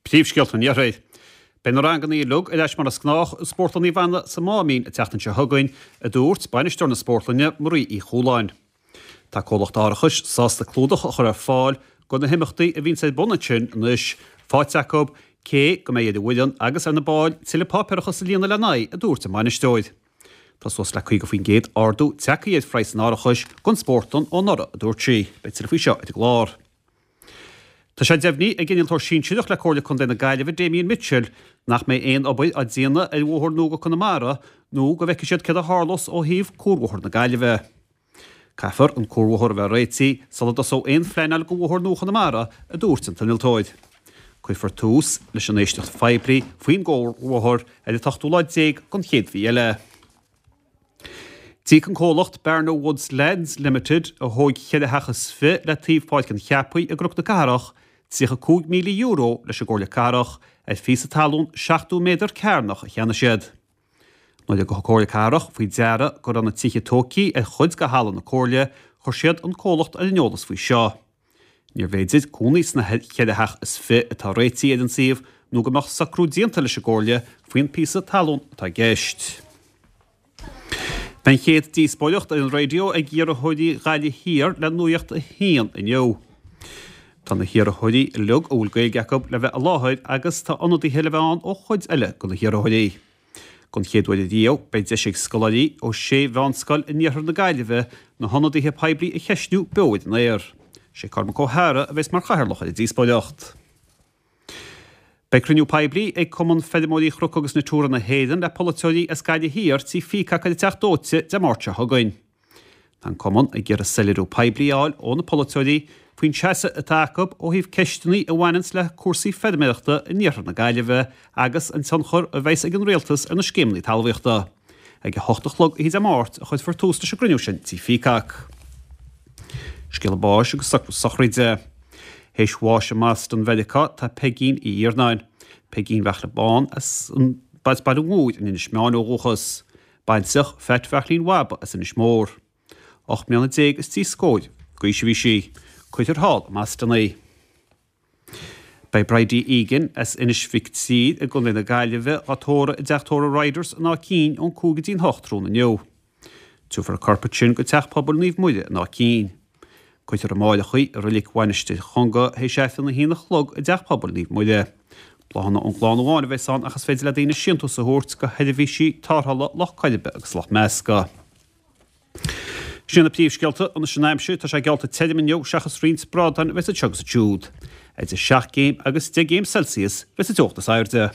Príomhscéalta an Iarthair. Beidh na ranganna uilig ar ais mar is gnách i Spórtlann Naomh Anna sa Máimín an tseachtain seo chugainn, a dúirt bainisteoir na spórtlainne, Marie Uí Chualáin. Tá comhlacht árachais sásta clúdach a chur ar fáil do na himeachtaí a bhíonns ar bun ansin anois faighte acu, cé go mbeidh ar an bhfoireann agus ar na baill tuilleadh páipéarachas a líonadh lena n-aghaidh, a dúirt an bainisteoir. Tá suas le 50% ardú tagtha ar phraghas an árachais don spórtlann ó anuraidh, a dúirt sí. Beidh tuilleadh faoi seo ar an gclár. Tá sé deimhnithe ag Innealtóir Sinsearach le Comhairle Contae na Gaillimhe, Damien Mitchell, nach mbeidh aon obair á déanamh ar bhóthar nua go Conamara nó go bhfeicfidh siad céard a tharlós ó thaobh cuarbhóthar na Gaillimhe. Caithfear an cuarbhóthar a bheith réitithe sula dtosóidh aon phleanáil do bhóthar nua Chonamara, a dúirt an t-innealtóir. Cuirfear tús leis an éisteacht phoiblí faoin gcuarbhóthar ar an t-ochtú lá déag den chéad mhí eile. D'íoc an comhlacht Barna Woods Lands Limited, a thóig cheithre theach is fi le taobh Pháirc an Cheapaigh i gCnoc na Cathrach, €35,000 leis an gComhairle Cathrach ar phíosa talún 70 méadar cearnach a cheannaigh siad. Nuair a thug an Comhairle Cathrach faoi deara go raibh na tithe tógtha ar chuid de thalamh na Comhairle, chuir siad an comhlacht ar an eolas faoi seo. Níorbh fhéidir cónaí sna cheithre theach is fi atá réitithe ar an suíomh nó go mbeadh socrú déanta leis an gComhairle faoin píosa talún atá i gceist. Beidh an chéad díospóireacht ar an raidió ag iarrthóirí Ghaillimh Thiar le Nuacht a hAon inniu. Tá na hiarrthóirí uilig a bhfuil Gaeilge acu le bheith i láthair agus tá ionadaithe le bheith ann ó chuid eile de na hiarrthóirí. Don chéad uair ariamh, beidh deis ag scoláirí ó shé mheánscoil in iarthar na Gaillimhe na hionadaithe poiblí a cheistniú beo ar an aer. Sé Cormac Ó hEadhra a bheas mar chathaoirleach ar an díospóireacht. Beidh cruinniú poiblí ag Cumann Feirmeoirí Chnoc agus Natura na hÉireann le polaiteoirí as Gaillimh Thiar tí Peacock ar an Teach Dóite Dé Máirt seo chugainn. Tá an Cumann ag iarraidh soiléiriú poiblí a fháil ó na polaiteoirí faoin seasamh atá acu ó thaobh ceisteanna a bhaineanns le cúrsaí feirmeoireachta in iarthar na Gaillimhe agus an tionchar a bheas ag an rialtas ar na scéimeanna talmhaíochta. Ag a hocht a chlog oíche Dé Máirt a chuirfear tús leis an gcruinniú sin tí Peacock. Scéala báis agus sochraide. Théis bháis i mBoston Mheiriceá tá Peigín Uí Iarnáin. Peigín Bheartla Bán as Baile Mhúir in Inis Meáin ó dhúchas. Baintreach Pheait Bheartlaín Bhaba as Inis Mór. 18 mbliana is trí scóir d'aois a bhí sí. Cuirfear thall i mBoston í. Beidh Bridie Egan as Inis Mhic Tír i gContae na Gaillimhe á tórramh i dTeach Tórraimh Riders in Áth Cinn ón 5 go dtí'n 8 tráthnóna inniu. Tabharfar a corp ansin go Teach Pobail Naomh Muire in Áth Cinn. Cuirfear amáireach í i Reilig Mhainistir Chonga théis Aifreann 1 a chlog i dTeach Pobail Naomh Muire. Bláthanna ón gclann amháin a bheas ann ach is féidir le daoine síntiús a thabhairt go sheirbhísí tarrthála Loch Coiribe agus Loch Measca. Sin iad na príomhscéalta anois an aimsir, tá sé geallta tirim inniu seachas roinnt brádáin a bheas anseo agus ansiúd. Idir 7 gcéim agus 10 gcéim Celsius bheas an teocht is airde.